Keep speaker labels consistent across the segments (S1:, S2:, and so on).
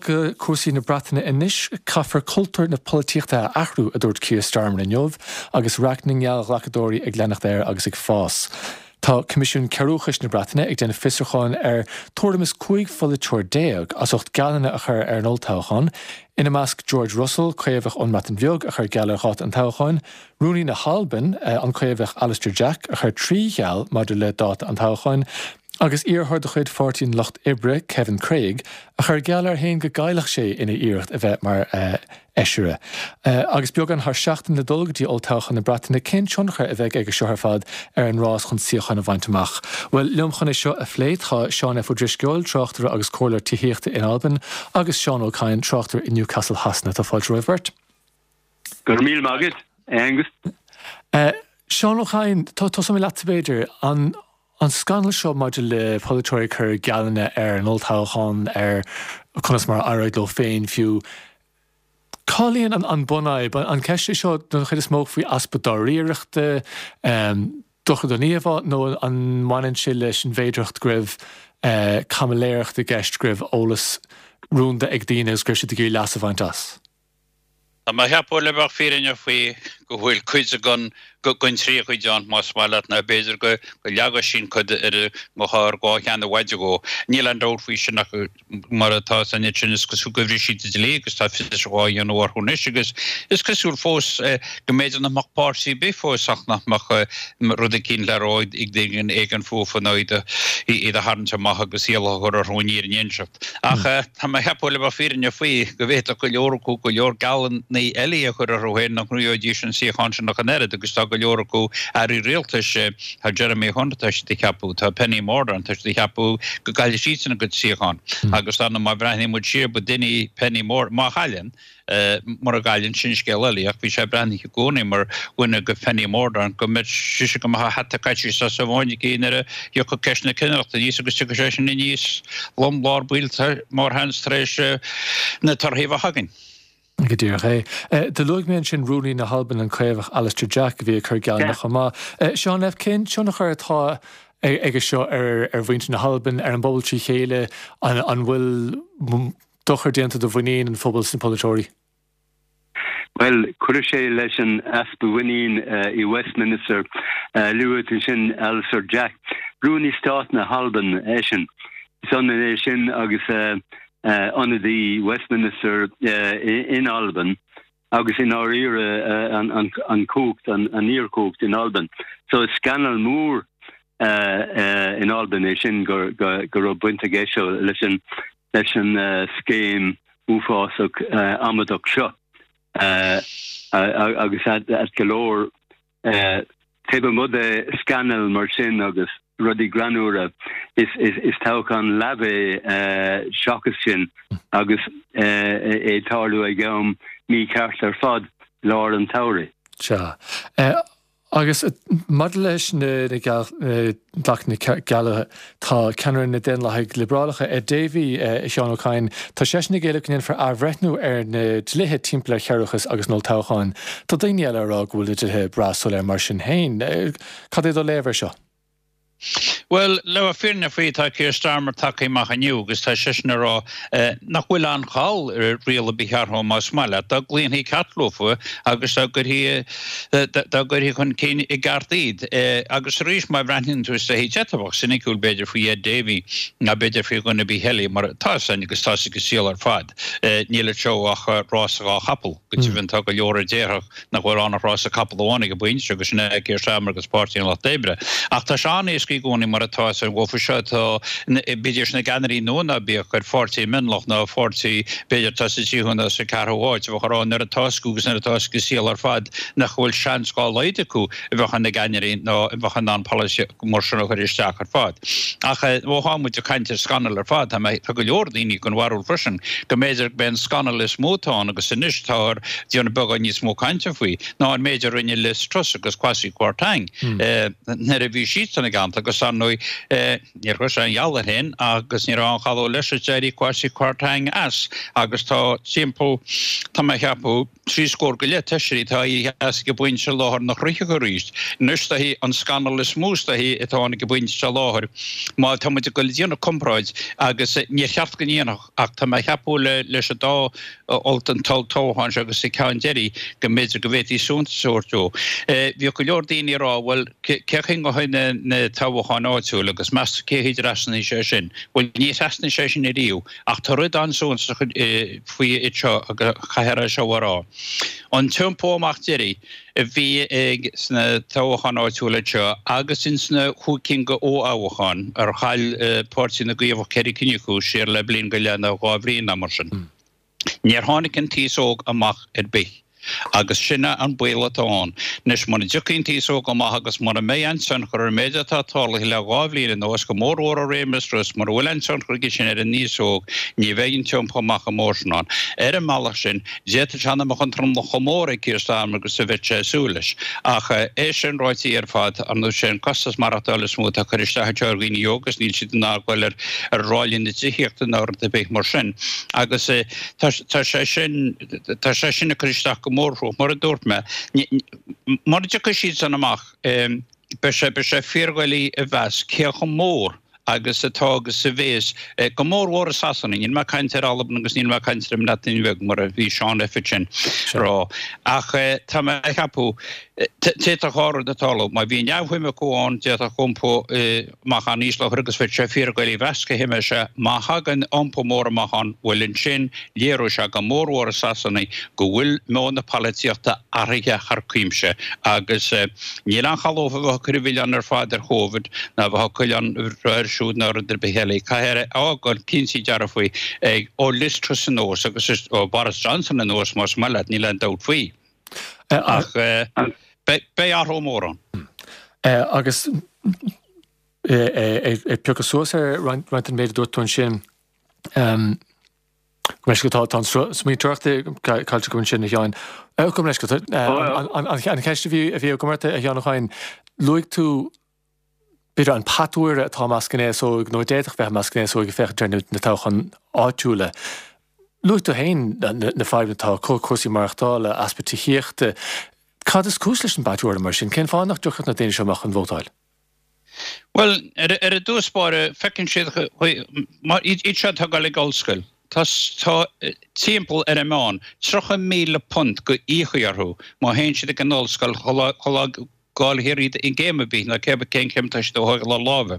S1: go cúrsaí na Breataine anois. Caithfear cultúr na polaitíochta a athrú, a dúirt Keir Starmer inniu, agus raic na ngeallghlacadóirí ag leanacht air agus ag fás. Tá Coimisiún Cearúchais na Breataine ag déanamh fiosrúcháin ar tuairim is 15 pholaiteoir as ucht geallanna a chur ar an olltoghchán, ina measc George Russell, Caomhach ón mBreatain Bheag a chuir geall ar dháta an toghcháin, Rúnaí na hAlban, an Caomhach Alister Jack, a chuir 3 gheall maidir le dáta an toghcháin, agus iarrthóir de chuid Pháirtí an Lucht Oibre, Kevin Craig, a chuir geall air féin go gcaillfeadh sé ina iarracht a bheith mar fheisire. Agus beagán thar seachtain le dul go dtí olltoghchán na Breataine, cén tionchar a bheidh aige seo ar fad ar an rás chun suíochán a bhaint amach? Bhuel, liom chun é seo a phlé tá Seán F. Ó Drisceoil, tráchtaire agus comhairleoir tithíochta in Albain, agus Seán Ó Cadhain, tráchtaire i Newcastle Shasana. Tá fáilte romhaibh beirt.
S2: Go raibh míle maith agat, a Aengus.
S1: Seán Ó Cadhain, tosóidh mé leatsa b'fhéidir. An An scannal seo maidir le polaiteoirí ag cur geallanna ar an olltoghchán, ar conas mar a éireoidh leo féin fiú, cá luíonn an bunfhadhb? An ceist é seo don chuid is mó faoi easpa dáiríreachta, dochar don íomhá, nó an mbaineann sé leis an bhféidearthacht go raibh caimiléireacht i gceist, go raibh eolas rúnda ag daoine agus go raibh siad ag iarraidh leas a bhaint as?
S3: Tá mé a cheapadh, le bheith fírinneach faoi, go bhfuil cuid den trí chuid ann, más maith leat, nó b'fhéidir go leagfadh sin cuid ar an gcathaoir dhá cheann i bhfaide dhó. Níl aon dabht faoi sin ach mar atá san sin, is cosúil gur bhris siad an dlí agus tá fiosrúchán á dhéanamh orthu anois agus is cosúil fós go mb'fhéidir nach mbeadh páirtí ar bith fós ach nach mbeadh rud eicínt le rá ag duine éigin fúthu nó iad a tharraingt amach agus iallach a chur orthu an fhírinne a inseacht. Ach tá mé a cheapadh, le bheith fírinneach faoi, go bhféadfadh go leor acu go leor geallanna eile a chur orthu féin nach ngnóthóidís an suíochán sin ach an oiread, agus tá go leor acu, airí rialtais, tá Jeremy Hunt, tá siad a cheapadh, tá Penny Mordaunt, tá siad a cheapadh go gcaillfidh siadsan a gcuid suíochán. Agus dar ndóigh má bhreathnaíonn muid siar, ba duine í Penny Mordaunt, má chailleann, Mura gcailleann, sin scéal eile, ach bhí sé breathnaithe i gcónaí mar dhuine de Phenny Mordaunt go mbeadh sise go mbeadh a hata caite as a mhuin aici nuair a thiocfadh ceist na cinnireachta aníos agus tiocfaidh sé sin aníos lom lár baill mórsheans tar éis na torthaí a bheith againn.
S1: Go díreach é. Do luaigh mé ansin Rúnaí na hAlban, an Caomhach Alister Jack, a bhí ag cur geallanna chomh maith. Seán F. Cén tionchar atá aige seo ar mhuintir na hAlban, ar an bpobal trí chéile? An bhfuil dochar déanta do mhuinín an phobail sna polaiteoirí?
S2: Bhuel, cuirfidh sé leis an easpa mhuinín i Westminster. Luaigh tú ansin Alister Jack, Rúnaí Stáit na hAlban eisean. Is ionann é sin agus ionadaí Westminster in Albain agus i ndáiríre an chumhacht, an fhíorchumhacht in Albain. So is scannal mór in Albain é sin go raibh baint aige seo leis an leis an scéim uafásach amadach seo agus ait go leor taobh amuigh de scannail mar sin agus rudaí greannmhara is toghchán leamh é seachas sin agus é ag tarlú ag am mícheart ar fad, lár an tsamhraidh.
S1: Sea. Agus maidir leis na glacadh na gealladh, tá ceannaire na Daonlathaigh Liobrálacha, Ed Davey, a Sheáin Ó Cadhain, tá seisean ag éileamh go ndéanfar athbhreithniú ar na dlíthe timpeall ar chearúchas agus an olltoghchán. Tá daoine eile ag rá go bhfuil na dlíthe breá soiléir mar sin féin. Cad é do léamh air seo?
S3: Bhuel, le bheith fírinneach faoi, tá Keir Starmer tagtha amach inniu agus tá seisean ag rá nach bhfuil aon chall ar riail ar bith a athrú más maith leat, dá gcloífí ceart leofa agus dá gcuirfí dá gcuirfí chun cinn i gceart iad. Agus arís, má bhreathnaíonn tú is dóichí, d'fhéadfá bheith soiniciúil b'fhéidir faoi Ed Davey ná b'fhéidir faoi dhuine ar bith eile mar tá a fhios againn agus tá a fhios ag an saol ar fad, níl anseo ach rása dhá chapall, go deimhin tá go leor a déarfadh nach bhfuil ann ach rása capall amháin ag an bpointe seo, agus sin é Keir Starmer agus Páirtí an Lucht Oibre. Ach tá sé an-éasca i gcónaí mar atá is dhófa seo atá, bídís ina gceannairí nua ná bíodh ar pháirtí mionlach nó pháirtí b'fhéidir atá sa tríú nó sa cheathrú háit, a bheadh ag rá nuair atá a fhios acu agus nuair atá a fhios ag an saol ar fad nach bhfuil seans dá laghad acu a bheadh ina gceannairí ná a bheadh in ann polasaí mar sin a chur isteach ar fad. Ach ó tá muid ag caint ar scannal ar fad, tá mé, tá go leor daoine den bharúil freisin go mb'fhéidir go mb'é an scannal is mó atá ann agus anois táthar ag déanamh beagán níos mó cainte faoi ná an méid a rinne Liz Truss agus Kwasi Kwarteng nuair a bhí siadsan i gceann. galánta agus ar ndóigh níor chuir sé aon gheall air féin agus ní raibh aon chalóg leis is d'éirigh Kwasi Kwarteng as agus tá timpeall, tá mé a cheapadh, 30 scór go leith feisirí atá éirithe as ag an bpointe seo i láthair nach rithfeadh arís. Anois is dóichí an scannal is mó is dóichí atá ann ag an bpointe seo i láthair má tá muid ag dul ag déanamh comparáid agus níor cheart go ndéanfadh ach tá mé a cheapadh leis an dá an t-olltoghchán seo agus an ceann deiridh go mb'fhéidir go bhféadfaí suntas a thabhairt dó. Bhíodh go leor daoine ag rá bhuel cé chaoi a ngeobhaidh na toghcháin áitiúil agus meas tú cé chaoi a dtrasnaíonn sé sin? Bhuel ní thrasnaíonn sé sin ariamh. Ach tá rud an-suntasach faoi iad seo agus caithfear é seo a rá. An t-iompó amach deiridh a bhí ag sna toghcháin áitiúla seo agus ins na chúig cinn de fhothoghcháin ar chaill Páirtí na gCaomhach ceithre cinn acu siar le bliain go leith nó dhá bhliain nó mar sin. Níor tháinig an t-aos óg amach ar bith. Agus sin é an baol atá ann. Anois, muna dtiocfaidh an t-aos óg amach agus mura mbeidh aon tionchar ar an méid atá tarlaithe le dhá bhliain anuas, go mórmhór ó réimeas Truss, mura bhfuil aon tionchar aige sin ar an aos óg, ní bheidh an t-iompú amach an mór sin ann. Ar an mbealach sin, d'fhéadfadh sé nach mbeadh an tromlach chomh mór ag Keir Starmer agus a bheadh sé ag súil leis. Ach é sin ráite ar fad, ar ndóigh, sé an costas maireachtála is mó atá ag cur isteach anseo ar dhaoine óga agus níl siad in ann dul ar ráillí na tithíochta ná rud ar bith mar sin. Agus tá sé sin, tá sé sin ag cur isteach go mór orthu. Mar a dúirt mé, mura dtiocfaidh siad san amach, beidh sé, beidh sé fíordhoiligh a mheas cé chomh mór agus atá agus a bhéas, go mór mhór i Sasana, níl mé ag caint ar Albain agus níl mé ag caint ar an mBreatain Bheag mar a bhí Seán F. ansin ag rá. Ach tá mé ag ceapadh, d'fhéadfadh dhá rud a tarlú, má bhí neamhshuim acu ann, d'fhéadfadh iompú amach an-íseal a chur agus bheadh sé fíordhoiligh a mheas cé hé mbeidh sé. Má thagann iompú mór amach ann, bhuel ansin léireoidh sé go mórmhór i Sasana go bhfuil meon na polaitíochta athraithe thar cuimse agus níl aon chall dófa a bheith ag cur an mhilleáin ar fad ar Chovid ná a bheith ag cur an air siúd ná rud ar bith eile. Caithfear a fhágáil cinnte dearfa ag ó Liz Truss anuas agus ó Boris Johnson anuas más maith leat, níl aon dabht faoi. Ach beidh athrú mór ann.
S1: Agus ag piocadh suas ar roinnt den méid a dúirt tú ansin, go mbeidh tá an smaointeoireacht caillte agam ansin, a Sheáin. Gabh mo leithscéal, an cheist a bhí agam ort, a Sheáin Uí Chadhain, luaigh tú b'fhéidir an patuaire atá i measc an aos óig nó a d'fhéadfadh bheith i measc an aos óig ag féachaint ar na toghcháin áitiúla. Luaigh tú féin na fadhbanna atá acu, cúrsaí maireachtála, easpa tithíochta. Cad is cúis leis an bpatuaire mar sin? Cén fáth nach dtiocfadh na daoine seo amach chun vótáil?
S3: Bhuel, ar dtús báire, feiceann siad, iad seo atá ag dul ag ollscoil, tá timpeall ar an meán, £30,000 go íocfaí orthu má théann siad ag an ollscoil chun gabháil thríd i gcéim ar bith, nó cé cén chéim atá siad a thógáil ar láimhe.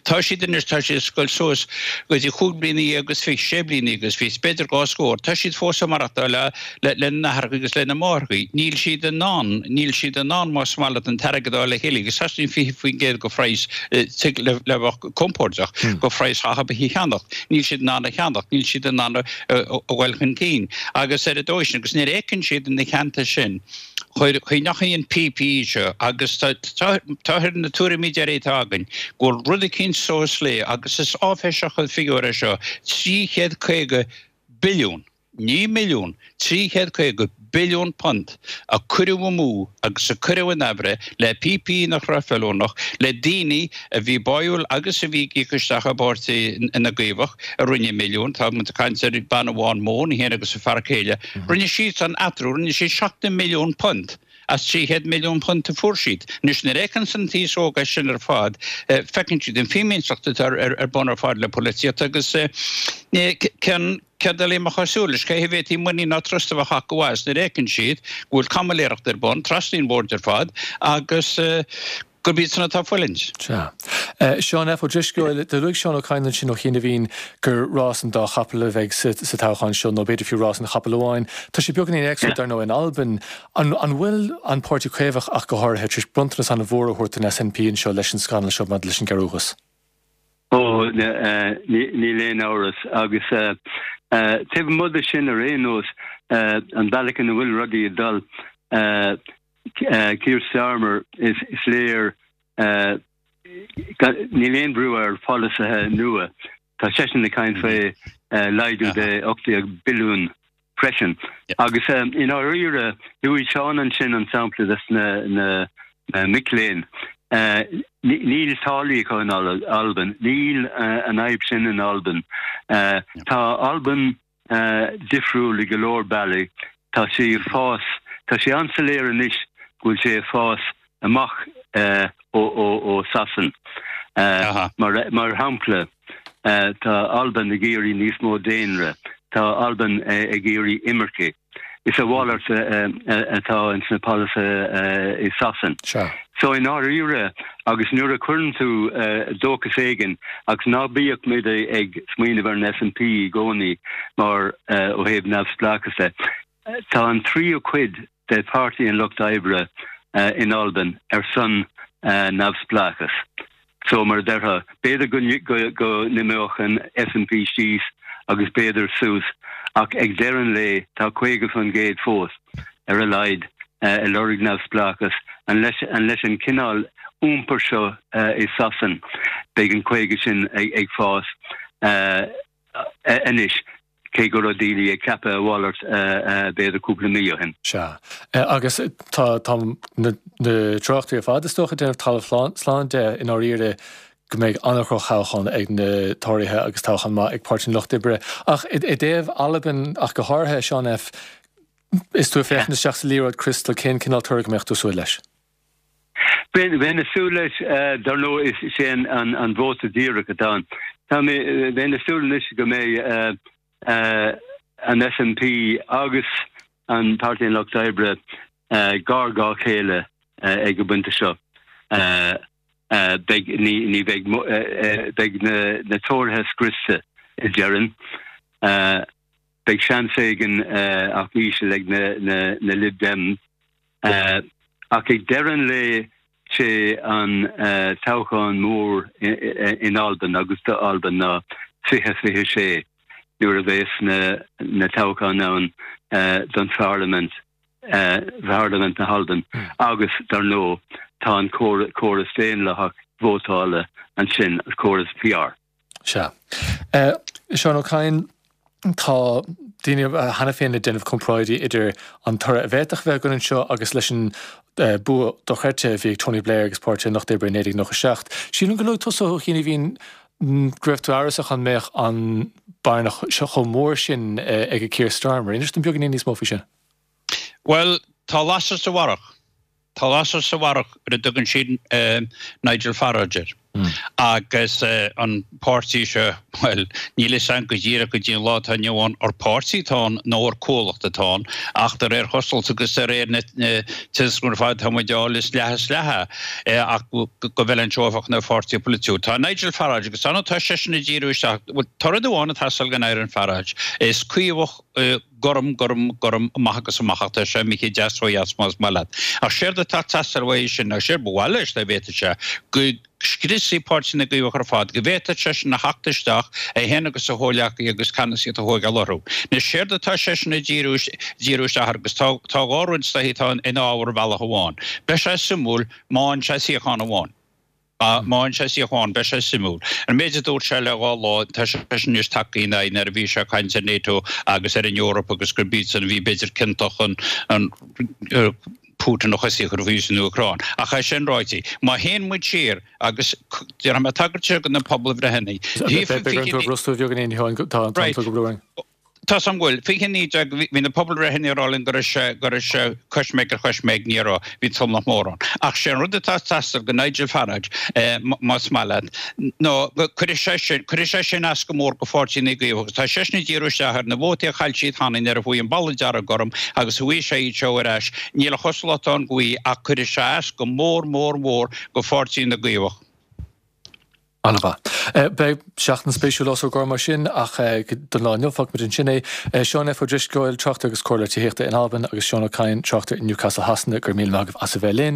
S3: Tá siad anois, tá siad ag goil suas go dtí chúig bliana dhéag agus fiche, sé bliana déag agus fiche, b'fhéidir dhá scór. Tá siad fós ag maireachtáil le, le, lena n-aithreacha agus lena máithreacha. Níl siad in ann, níl siad in ann más maith leat an t-airgead a fháil le chéile agus teastaíonn 20% go phraghas tigh le, le bheith compordach, go phraghas theach ar bith a cheannacht. Níl siad in ann a cheannacht, níl siad in ann a, a, a ghoil chun cinn. Agus ar an dóigh sin, agus nuair a fheiceann siad ina theannta sin, Chuir ndeachaigh an PPE seo agus tá ar na tuairimí deiridh atá againn go bhfuil rud eicínt suas le, agus is áiféiseach an figiúr é seo, 350 billiún, ní milliún, 350 billiún punt a cuireadh amú agus a cuireadh in aimhréidh le PPE nach raibh feiliúnach, le daoine a bhí báúil agus a bhí ag íoc isteach i bpáirtí na gCaomhach a rinne milliúin, tá muid ag caint ar bean amháin Món í féin agus a fear céile, Rinne siad san eatarthu, rinne siad £70 milliún as £300 milliún a fuair siad. Anois nuair a fheiceanns an t-aos óg é sin ar fad, feiceann siad an fímínseacht atá ar bun ar fad le polaitíocht agus cén céard eile a mbeadh ag súil leis, cé a bhféadfaí muinín ná trust a bheith acu as nuair a fheiceann siad go bhfuil caimiléireacht ar bun, trasna an bhoird ar fad agus gurb iad san atá ag fulaingt.
S1: Sea. Seán F. Ó Drisceoil, do luaigh Seán Ó Cadhain ansin ó chianaibhín gur rás an dá chapall a bheidh sa toghchán seo, nó b'fhéidir fiú rás an chapaill amháin. Tá sé beagáinín éagsúil, dar ndóigh, in Albain. An bhfuil an Páirtí Caomhach ach go háirithe tar éis bronntanas an-mhór a thabhairt don SNP anseo leis an scannal seo maidir leis an gcearrbhachas?
S2: Ó, níl aon amhras. Agus taobh amuigh de sin ar aon nós, an bealach ina bhfuil rudaí ag dul, Keir Starmer, is léir níl aon bhrú ar pholasaithe nua. Tá seisean ag caint faoi laghdú de 18 billiún freisin. Agus i ndáiríre, luaigh Seán ansin an sampla des na mic léinn. Níl táillí acu in Albain. Níl an fhadhb sin in Albain. Tá Albain difriúil i go leor bealaí. Tá sí ag fás, tá sé an-soiléir anois go bhfuil sé ag fás amach ó Sasain. Mar shampla, tá Albain ag iarraidh níos mó daonra, tá Albain ag iarraidh imircigh. Is a mhalairt atá ins na polasaithe i Sasain. So i ndáiríre, agus nuair a chuireann tú dóchas éigin, agus ná bíodh muid ag smaoineamh ar an SNP i gcónaí mar ó thaobh neamhspleáchas de, tá an tríú cuid de Pháirtí an Lucht Oibre in Albain ar son neamhspleáchas. So, mar a déarfá, b'fhéidir go n-imeodh an SNP síos agus b'fhéidir suas, ach ag deireadh an lae tá 50% fós, ar a laghad, ag lorg neamhspleáchas. And leis an cineál iompair seo i Sasain, beidh an 50 sin ag fás. Anois, cé go raibh daoine ag ceapadh a mhalairt b'fhéidir cúpla mí ó shin.
S1: Sea. Agus tá na tráchtairí ar fad, is dócha, ag déanamh talamh slán de, i ndáiríre, go mbeidh an-dhroch-thoghchán ag na Tóraithe agus toghchán maith ag Páirtí an Lucht Oibre. Ach i dtaobh Albain ach go háirithe, Seán F. is tú ag féachaint isteach sa liathróid criostail, cén cineál toradh go mbeadh tú ag súil leis?
S2: Bheinn ag súil leis, dar ndóigh, is é an vóta díreach atá ann. Tá mé, bheinn ag súil anois go mbeidh an SNP agus an Páirtí an Lucht Oibre gar dhá chéile ag an bpointe seo. Beidh, ní bheidh, beidh na Tóraithe scriosta, déarfainn. Beidh seans éigin ach íseal ag na Lib Dems. Ach ag deireadh an lae sé an toghchán mór in Albain agus do Albain ná 2026 nuair a bheas na toghcháin ann don pharlaimint, Pharlaimint na hAlban agus dar ndóigh tá an córas daonlathach vótála ansin, córas PR.
S1: Sea. Seán Ó Cadhain, tá daoine cheana féin ag déanamh comparáidí idir an toradh a bhféadfadh a bheith againn anseo agus leis an bua dochreidte a bhí ag Tony Blair agus Páirtí an Lucht Oibre i 1997. Sílim gur luaigh tusa, a Sheáin, go raibh tú amhrasach an mbeadh an bearna chomh mór sin ag Keir Starmer. Inis dom beagáinín níos mó faoi sin.
S3: Bhuel, tá lasair sa bharrach. Tá lasair sa bharrach ar a dtugann siad Nigel Farage air. Agus an páirtí seo, bhuel, níl fhios a'm go díreach go dtí an lá atá inniu ann ar páirtí atá ann nó ar comhlacht atá ann, ach de réir chosúlachta agus de réir na tuairiscí ar fad atá muid a fháil is leath is leath é ach go bhfeileann sé a bheadh ina pháirtí polaitiúil. Tá Nigel Farage agus tá seisean ag díriú isteach, bhuel, tá rud amháin ag teastáil go n-éireann Farage, is caomhach, gorm, gorm, gorm, amach agus amach ach tá sé imithe deas ó dheas más maith leat. Ach séard atá ag teastáil uaidh sin, agus séard ba mhaith leis dá bhféadfadh sé, go scriosfaí Páirtí na gCaomhach ar fad, go bhféadfadh seisean a theacht isteach, é féin agus a chomhghleacaithe agus ceannasaíocht a thóigeáil orthu. Anois séard atá seisean ag díriú, díriú isteach air agus tá, tá dhá rud is dóichí atá ina fhábhar ar bhealach amháin. Beidh sé suimiúil má fhaigheann sé suíochán amháin. Má fhaigheann sé suíochán, beidh sé suimiúil. An méid a dúirt sé le dhá lá, tá seisean anois tagtha ina aghaidh nuair a bhí sé ag caint ar NATO agus ar an Eoraip agus gurb iadsan a bhí b'fhéidir ciontach chun an Putin a chosaí a chur faoi san Úcráin. Ach é sin ráite, má théann muid siar agus déanfaidh mé tagairt do na pobalbhreitheanna.
S1: Beidh orm tú a bhrostú beagáinín, a Sheáin, tá an t-am ag brú orainn.
S3: Tá 's a'm go bhfuil. 2019, bhí na pobalbhreitheanna ag rá linn go raibh sé, go raibh sé coisméig ar choisméig, ní raibh, bhí tromlach mór ann. Ach sé an rud atá ag teastáil go Nigel Farage, más maith leat, ná go cuirfidh sé sin, cuirfidh sé sin as go mór go Pháirtí na gCaomhach agus tá seisean ag díriú isteach ar na vótaí a chaill siad cheana nuair a chuaigh an balla dearg gorm agus a bhfaighidh sé iad seo ar ais, níl a chosúlacht ann go bhfaighidh ach cuirfidh sé as go mór mór mór go Pháirtí na gCaomhach.
S1: An-mhaith. Beidh seachtain spéisiúil os ár gcomhair mar sin, ach don lá inniu, fágfaimid ansin é. Seán F. Ó Drisceoil, tráchtaire agus comhairleoir tithíochta in Albain, agus Seán Ó Cadhain, tráchtaire i Newcastle Shasana, go raibh míle maith agaibh as a bheith linn.